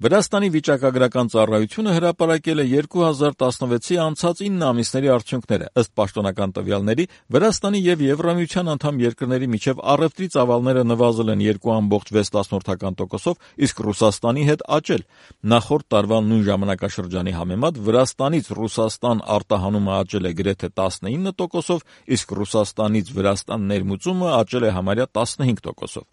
Վրաստանի վիճակագրական ծառայությունը հրապարակել է 2016-ի անցած 9 ամիսների արդյունքները։ Ըստ պաշտոնական տվյալների, Վրաստանի եւ Եվրամիության անդամ երկրների միջև առևտրի ծավալները նվազել են 2.6%-ով, իսկ Ռուսաստանի հետ աճել։ Նախորդ տարվա նույն ժամանակաշրջանի համեմատ Վրաստանից Ռուսաստան արտահանումը աճել է գրեթե 19%-ով, իսկ Ռուսաստանից Վրաստան ներմուծումը աճել է համարյա 15%-ով։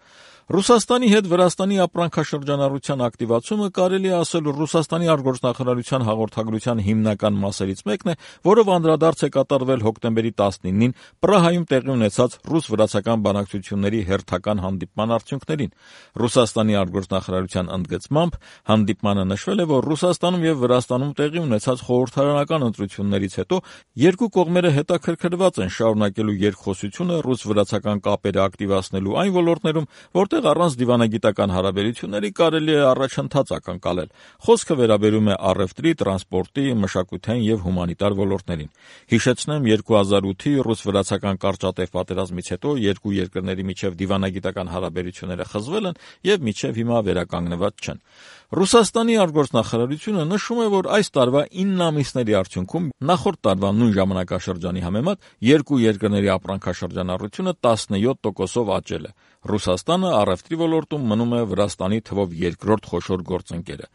Ռուսաստանի հետ Վրաստանի ապրանքաշրջանառության ակտիվացումը կարելի է ասել Ռուսաստանի արտգործնախարարության հաղորդագրության հիմնական մասերից մեկն է, որով անդրադարձ է կատարվել հոկտեմբերի 19-ին Պրահայում տեղի ունեցած ռուս-վրացական բանակցությունների հերթական հանդիպման արդյունքներին։ Ռուսաստանի արտգործնախարարության ընդգծմամբ հանդիպմանը նշվել է, որ Ռուսաստանում եւ Վրաստանում տեղի ունեցած խորհրդարանական ընտրություններից հետո երկու կողմերը հետաքրքրված են շարունակելու երկխոսությունը ռուս-վրացական կապերը ակտիվացնելու այն ոլորտներում, որտեղ առանց դիվանագիտական հարաբերությունների կարելի է առաջընթաց ակնկալել։ Խոսքը վերաբերում է առևտրի, տրանսպորտի, մշակութային եւ հումանիտար ոլորտներին։ Հիշեցնեմ, 2008-ի ռուս-վրացական կարճատև պատերազմից հետո երկու երկրների միջև դիվանագիտական հարաբերությունները խզվել են եւ մինչեւ հիմա վերականգնված չեն։ Ռուսաստանի արտգործնախարարությունը նշում է, որ այս տարվա 9 ամիսների արդյունքում նախորդ տարվա նույն ժամանակաշրջանի համեմատ երկու երկրների ապրանքաշրջանառությունը 17%-ով աճել է։ Ռուսաստանը առևտրի ոլորտում մնում է Վրաստանի թվով երկրորդ խոշոր գործընկերը։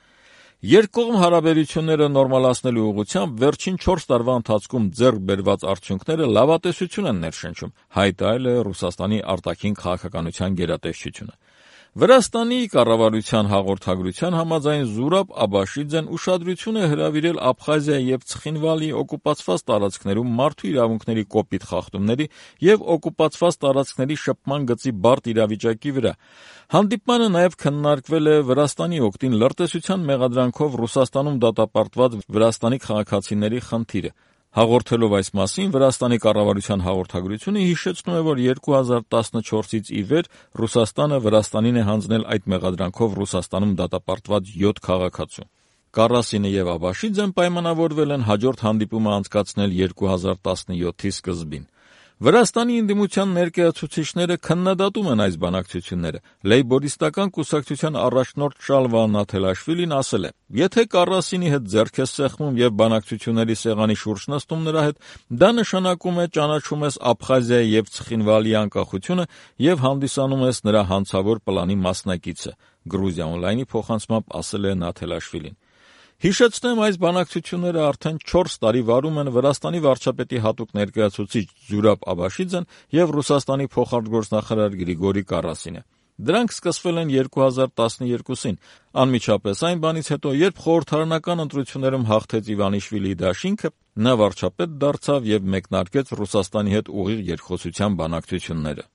Երկկողմ հարաբերությունները նորմալացնելու ուղղությամբ վերջին 4 տարվա ընթացքում ձեռք բերված արդյունքները լավատեսություն են ներշնչում, հայտարարել է Ռուսաստանի արտաքին քաղաքականության գերատեսչությունը։ Վրաստանի կառավարության հաղորդագրության համաձայն Զուրաբ Աբաշիձեն ուշադրություն է հրավիրել Աբխազիայի եւ Ցխինվալի օկուպացված տարածքներում մարդու իրավունքների կոպիտ խախտումների եւ օկուպացված տարածքների շփման գծի բարդ իրավիճակի վրա։ Հանդիպմանը նաեւ քննարկվել է Վրաստանի օգտին լրտեսության մեղադրանքով Ռուսաստանում դատապարտված վրաստանի քաղաքացիների խնդիրը։ Հաղորդելով այս մասին, Վրաստանի կառավարության հաղորդագրությունը հիշեցնում է, որ 2014-ից ի վեր Ռուսաստանը Վրաստանին է հանձնել այդ մեղադրանքով Ռուսաստանում դատապարտված 7 քաղաքացու։ Կարասինը եւ Աբաշիձեն պայմանավորվել են հաջորդ հանդիպումը անցկացնել 2017-ի սկզբին։ Վրաստանի ընդդիմության ներկայացուցիչները քննադատում են այս բանակցությունները։ Լեյբորիստական կուսակցության առաջնորդ Շալվա Նաթելաշվիլին ասել է. «Եթե Կարասինի հետ ձեռք ես սեղմում եւ բանակցությունների սեղանի շուրջ նստում նրա հետ, դա նշանակում է ճանաչում ես Աբխազիայի եւ Ցխինվալի անկախությունը եւ հանդիսանում ես նրա հանցավոր պլանի մասնակիցը», Գրուզիա օնլայնի փոխանցմամբ ասել է Նաթելաշվիլին։ Հիշեցնեմ, այս բանակցությունները արդեն 4 տարի վարում են Վրաստանի վարչապետի հատուկ ներկայացուցիչ Զուրաբ Աբաշիձեն եւ Ռուսաստանի փոխարտգործնախարար Գրիգորի Կարասինը։ Դրանք սկսվել են 2012-ին, անմիջապես այն բանից հետո, երբ խորհրդարանական ընտրություններում հաղթեց Իվանիշվիլիի դաշինքը, նա վարչապետ դարձավ եւ մեկնարկեց Ռուսաստանի հետ ուղիղ երկխոսության բանակցությունները։